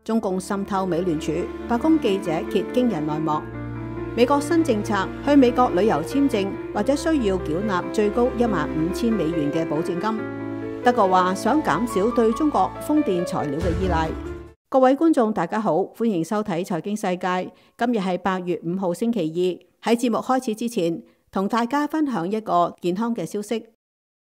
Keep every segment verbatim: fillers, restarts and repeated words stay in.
中共滲透美聯儲，白宮記者揭驚人內幕。美國新政策，去美國旅遊簽證或者需要繳納最高一萬五千美元嘅保證金。德國話想減少對中國風電材料嘅依賴。各位觀眾大家好，歡迎收睇財經世界。今日係八月五號星期二。喺節目開始之前，同大家分享一個健康嘅消息。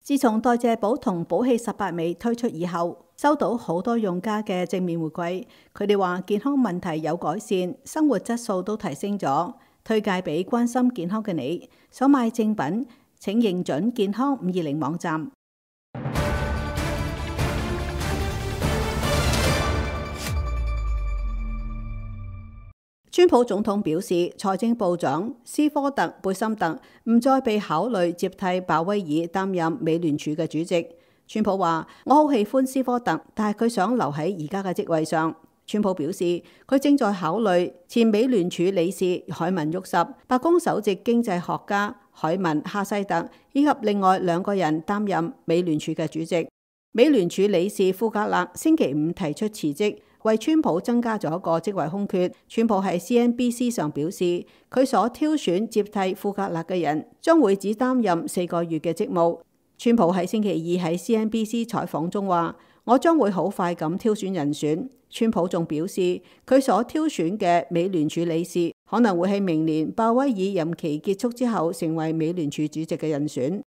自從代謝寶同寶氣十八味推出以後，收到好多用家嘅正面回饋。佢哋話健康問題有改善，生活質素都提升咗，推介俾關心健康嘅你。想買正品，請認準健康五二零網站。川普總統表示，財政部長斯科特貝森特唔再被考慮接替鮑威爾擔任美聯儲嘅主席。川普話：我好喜歡斯科特，但係佢想留喺而家嘅職位上。川普表示，佢正在考慮前美聯儲理事凱文沃什、白宮首席經濟學家凱文哈西特以及另外兩個人擔任美聯儲嘅主席。美聯儲理事庫格勒星期五提出辭職，為川普增加咗個職位空缺。川普喺 C N B C 上表示，佢所挑選接替庫格勒嘅人將會只擔任四個月嘅職務。川普喺星期二喺 C N B C 採訪中話：我將會好快咁挑選人選。川普仲表示，佢所挑選嘅美聯儲理事可能會喺明年鮑威爾任期結束之後成為美聯儲主席嘅人選。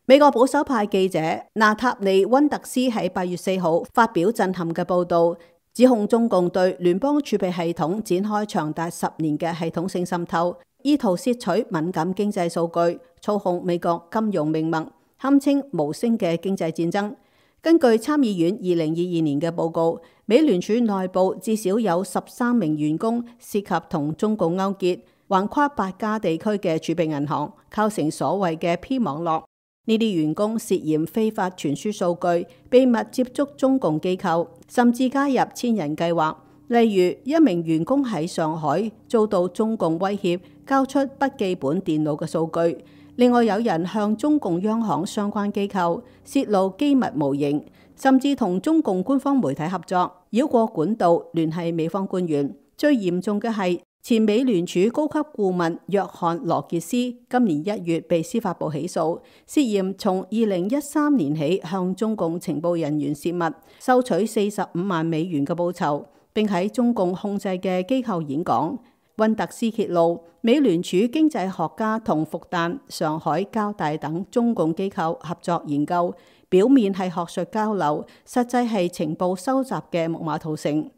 美國保守派記者納塔利溫特斯喺八月四號發表震撼嘅報導，指控中共對聯邦儲備系統展開長達十年嘅系統性滲透，意圖竊取敏感經濟數據，操控美國金融命脈，堪稱無聲嘅經濟戰爭。根據參議院二零二二年嘅報告，美聯儲內部至少有十三名員工涉及同中共勾結，橫跨八家地區嘅儲備銀行，構成所謂嘅 P 網絡。呢啲員工涉嫌非法傳輸數據，秘密接觸中共機構，甚至加入千人計劃。例如，一名員工喺上海遭到中共威脅，交出筆記本電腦嘅數據。另外有人向中共央行相關機構泄露機密模型，甚至同中共官方媒體合作，繞過管道聯繫美方官員。最嚴重嘅係，前美聯儲高級顧問約翰羅傑斯今年一月被司法部起訴，涉嫌從二零一三年起向中共情報人員泄密，收取四十五萬美元嘅報酬，並喺中共控制嘅機構演講。溫特斯揭露，美聯儲經濟學家同復旦、上海交大等中共機構合作研究，表面係學術交流，實際係情報收集嘅木馬屠城。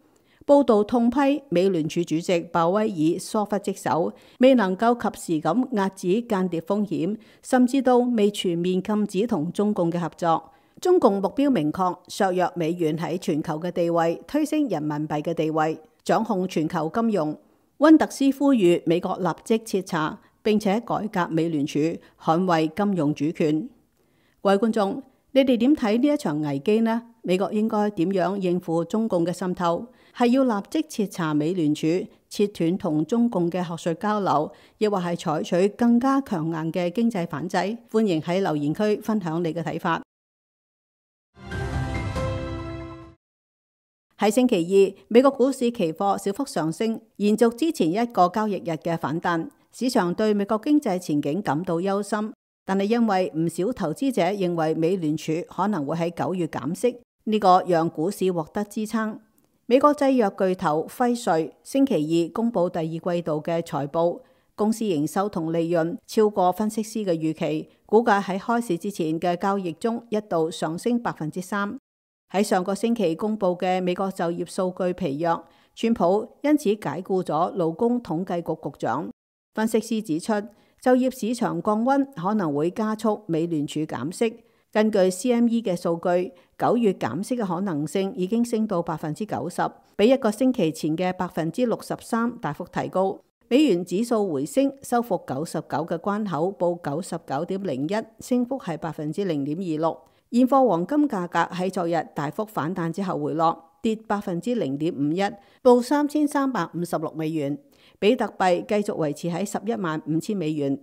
報道痛批美聯儲主席鮑威爾疏忽職守，未能夠及時咁遏止間諜風險，甚至到未全面禁止同中共嘅合作。中共目標明確，削弱美元喺全球嘅地位，推升人民幣嘅地位，掌控全球金融。溫特斯呼籲美國立即徹查並且改革美聯儲，捍衛金融主權。各位觀眾，你哋點睇呢一場危機呢？美國應該點樣應付中共嘅滲透？係要立即徹查美聯儲，切斷同中共嘅學術交流，亦或係採取更加強硬嘅經濟反制？歡迎喺留言區分享你嘅睇法。喺星期二，美國股市期貨小幅上升，延續之前一個交易日嘅反彈。市場對美國經濟前景感到憂心，但係因為唔少投資者認為美聯儲可能會喺九月減息，呢個讓股市獲得支撐。美國製藥巨頭輝瑞星期二公布第二季度嘅財報，公司營收同利潤超過分析師嘅預期，股價喺開市之前嘅交易中一度上升百分之三。喺上個星期公布嘅美國就業數據疲弱，川普因此解雇咗勞工統計局局長。分析師指出，就業市場降溫可能會加速美聯儲減息。根據 C M E 嘅數據，九月減息嘅可能性已經升到百分之九十，比一個星期前嘅百分之六十三大幅提高。美元指數回升，收復九十九嘅關口，報九十九點零一，升幅係百分之零點二六。現貨黃金價格喺昨日大幅反彈之後回落，跌百分之零點五一，報三千三百五十六美元。比特幣繼續維持喺十一萬五千美元。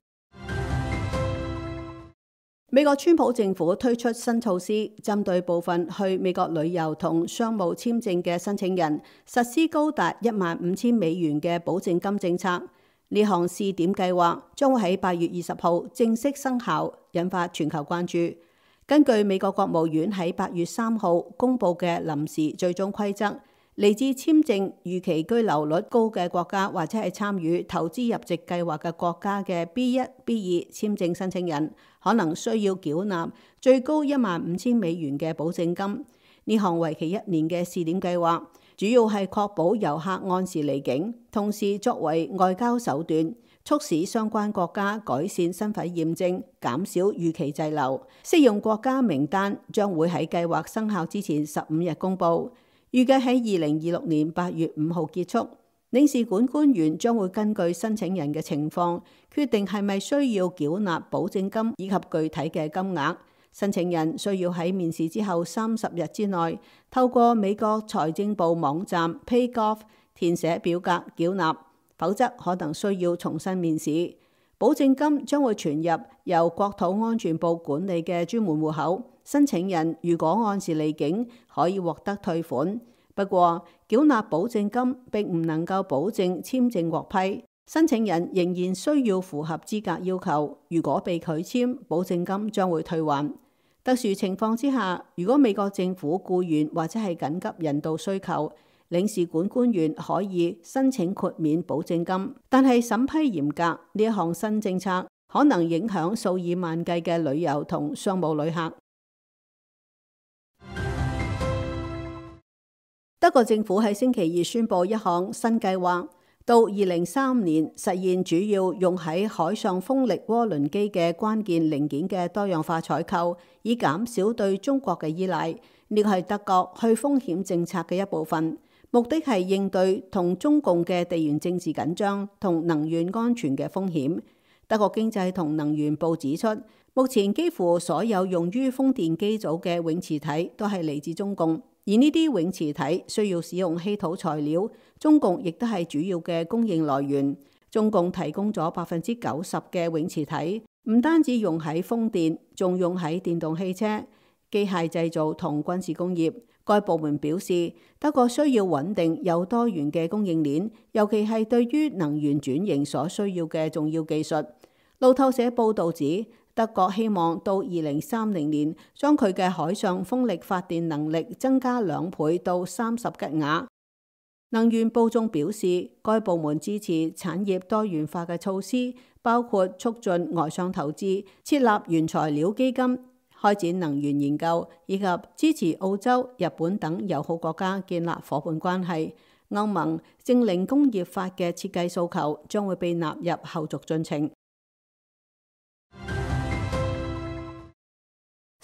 美國川普政府推出新措施，針對部分去美國旅遊同商務簽證嘅申請人，實施高達一萬五千美元嘅保證金政策。呢項試點計劃將會喺八月二十號正式生效，引發全球關注。根據美國國務院喺八月三號公布嘅臨時最終規則，嚟自簽證預期居留率高嘅國家或者係參與投資入籍計劃嘅國家嘅 B 一、B 二簽證申請人，可能需要繳納最高一萬五千美元嘅保證金。呢項為期一年嘅試點計劃，主要係確保遊客按時離境，同時作為外交手段，促使相關國家改善身份驗證，減少預期滯留。適用國家名單將會喺計劃生效之前十五日公佈。預計喺二零二六年八月五號結束，領事館官員將會根據申請人嘅情況，決定係咪需要繳納保證金以及具體嘅金額。申請人需要喺面試之後三十日之內，透過美國財政部網站 PayGov 填寫表格繳納，否則可能需要重新面試。保證金將會存入由國土安全部管理嘅專門戶口。申請人如果按時離境，可以獲得退款。不過，繳納保證金並唔能夠保證簽證獲批。申請人仍然需要符合資格要求。如果被拒簽，保證金將會退還。特殊情況之下，如果美國政府僱員或者係緊急人道需求，領事館官員可以申請豁免保證金。但係審批嚴格，呢一項新政策可能影響數以萬計嘅旅遊同商務旅客。德國政府喺星期二宣布一項新計劃，到二零三五年實現主要用喺海上風力渦輪機嘅關鍵零件嘅多樣化採購，以減少對中國嘅依賴。呢個係德國去風險政策嘅一部分，目的係應對同中共嘅地緣政治緊張同能源安全嘅風險。德國經濟同能源部指出，目前幾乎所有用於風電機組嘅永磁體都係嚟自中共。而呢啲永磁體需要使用稀土材料，中共亦都係主要嘅供應來源。中共提供咗百分之九十嘅永磁體，唔單止用喺風電，仲用喺電動汽車、機械製造同軍事工業。該部門表示，德國需要穩定又多元嘅供應鏈，尤其係對於能源轉型所需要嘅重要技術。路透社報導指，德國希望到二零三零年將佢嘅海上風力發電能力增加兩倍到三十吉瓦。能源部仲表示，該部門支持產業多元化嘅措施，包括促進外商投資、設立原材料基金、開展能源研究，以及支持澳洲、日本等友好國家建立夥伴關係。歐盟淨零工業法嘅設計訴求將會被納入後續進程。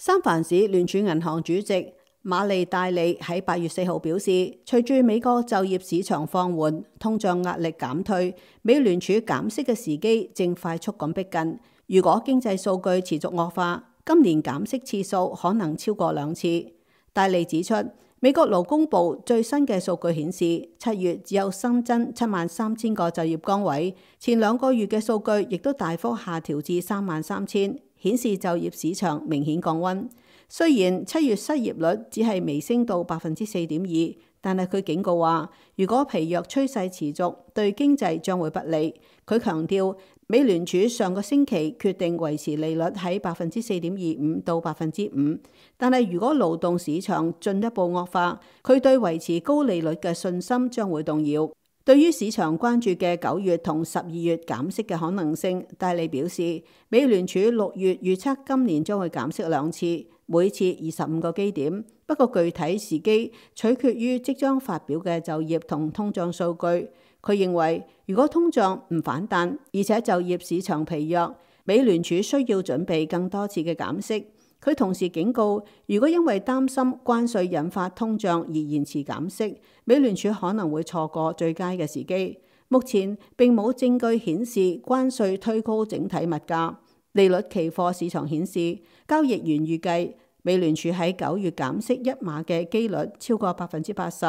三藩市聯儲銀行主席馬利戴利喺八月四號表示，隨住美國就業市場放緩，通脹壓力減退，美聯儲減息嘅時機正快速咁逼近。如果經濟數據持續惡化，今年減息次數可能超過兩次。戴利指出，美國勞工部最新嘅數據顯示，七月只有新增七萬三千個就業崗位，前兩個月嘅數據亦都大幅下調至三萬三千。顯示就業市場明顯降溫。雖然七月失業率只係微升到百分之四點二，但係佢警告話，如果疲弱趨勢持續，對經濟將會不利。佢強調，美聯儲上個星期決定維持利率喺百分之四點二五到百分之五，但係如果勞動市場進一步惡化，佢對維持高利率嘅信心將會動搖。對於市場關注嘅九月同十二月減息嘅可能性，戴利表示，美聯儲六月預測今年將會減息兩次，每次二十五個基點。不過具體時機取決於即將發表嘅就業同通脹數據。佢認為，如果通脹唔反彈，而且就業市場疲弱，美聯儲需要準備更多次嘅減息。佢同時警告，如果因為擔心關稅引發通脹而延遲減息，美聯儲可能會錯過最佳嘅時機。目前並冇證據顯示關稅推高整體物價。利率期貨市場顯示，交易員預計美聯儲喺九月減息一碼嘅機率超過百分之八十，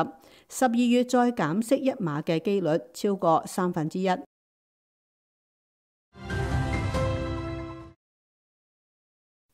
十二月再減息一碼嘅機率超過三分之一。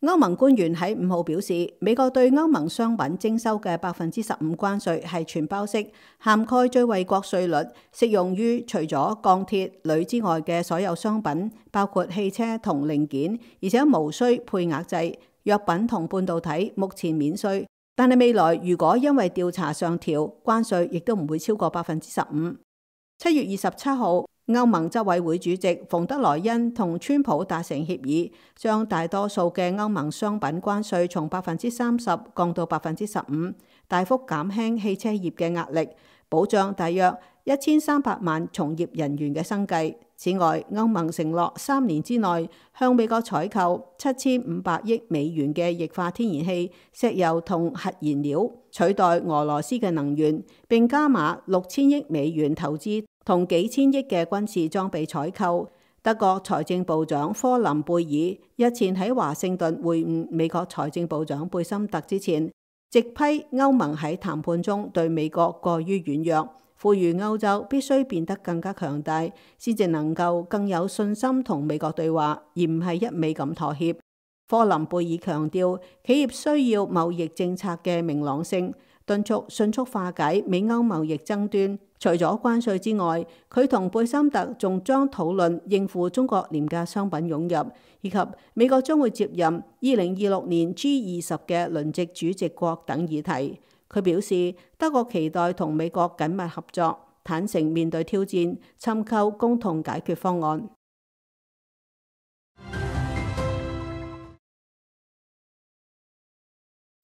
歐盟官員喺五號表示，美國對歐盟商品徵收嘅百分之十五關稅係全包式，涵蓋最惠國稅率，適用於除咗鋼鐵、鋁之外嘅所有商品，包括汽車同零件，而且無需配額制。藥品同半導體目前免稅，但係未來如果因為調查上調，關稅亦都唔會超過百分之十五。七月二十七號，歐盟執委會主席馮德萊恩同川普達成協議，將大多數嘅歐盟商品關稅從百分之三十降到百分之十五，大幅減輕汽車業嘅壓力，保障大約一千三百萬從業人員嘅生計。此外，歐盟承諾三年之內向美國採購七千五百億美元嘅液化天然氣、石油同核燃料，取代俄羅斯嘅能源，並加碼六千億美元投資同幾千億嘅軍事裝備採購。德國財政部長科林貝爾日前喺華盛頓會晤美國財政部長貝森特之前，直批歐盟喺談判中對美國過於軟弱，呼籲歐洲必須變得更加強大，先至能夠更有信心同美國對話，而唔係一味咁妥協。科林貝爾強調，企業需要貿易政策嘅明朗性，敦促迅速化解美歐貿易爭端。除咗關稅之外，佢同貝森特仲將討論應付中國廉價商品湧入，以及美國將會接任二零二六年 G 二十嘅輪值主席國等議題。佢表示，德國期待同美國緊密合作，坦誠面對挑戰，尋求共同解決方案。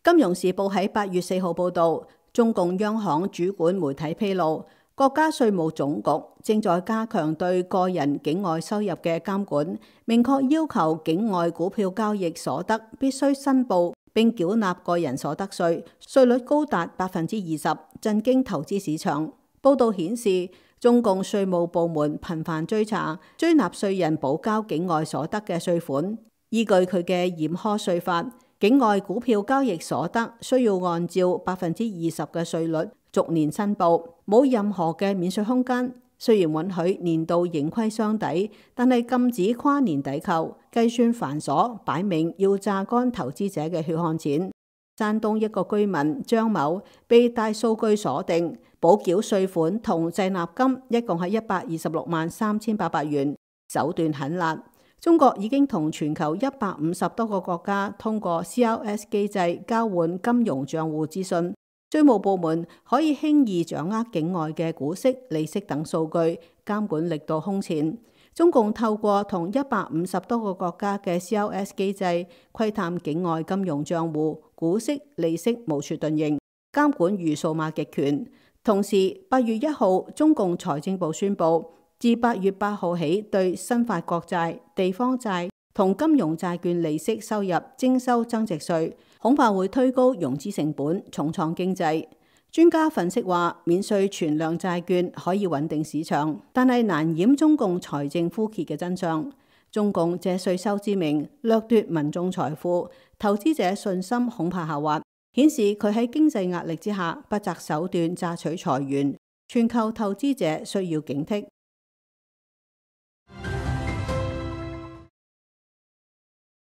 金融時報喺八月四號報導，中共央行主管媒體披露，國家稅務總局正在加強對個人境外收入嘅監管，明確要求境外股票交易所得必須申報並繳納個人所得稅，稅率高達百分之二十，震驚投資市場。報導顯示，中共稅務部門頻繁追查追納稅人補交境外所得嘅稅款，依據佢嘅嚴苛稅法，境外股票交易所得需要按照百分之二十嘅稅率逐年申報，冇任何嘅免稅空間。雖然允許年度盈虧相抵，但係禁止跨年抵扣，計算繁瑣，擺明要榨乾投資者嘅血汗錢。山東一個居民張某被大數據鎖定，補繳稅款同滯納金一共係一百二十六萬三千八百元，手段狠辣。中國已經同全球一百五十多個國家通過 C R S 機制交換金融賬戶資訊。稅務部門可以輕易掌握境外嘅股息、利息等數據，監管力度空前。中共透過同一百五十多個國家嘅 C R S 機制窺探境外金融賬戶、股息、利息無處遁形，監管如數碼極權。同時，八月一號，中共財政部宣布，自八月八號起，對新發國債、地方債同金融債券利息收入徵收增值稅，恐怕會推高融資成本，重創經濟。專家分析話，免稅存量債券可以穩定市場，但係難掩中共財政枯竭嘅真相。中共借稅收之名掠奪民眾財富，投資者信心恐怕下滑，顯示佢喺經濟壓力之下不擇手段榨取財源。全球投資者需要警惕。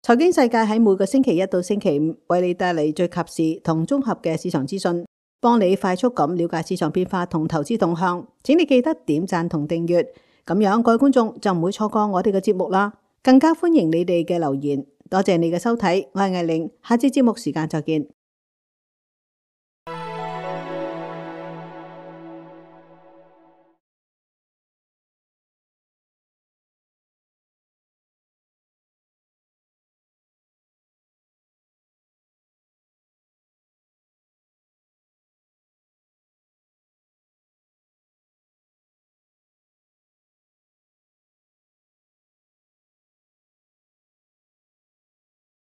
財經世界喺每個星期一到星期五為你帶嚟最及時同綜合嘅市場資訊，幫你快速咁了解市場變化同投資動向。請你記得點讚同訂閱，咁樣各位觀眾就唔會錯過我哋嘅節目啦。更加歡迎你哋嘅留言。多謝你嘅收睇，我係艾玲，下次節目時間再見。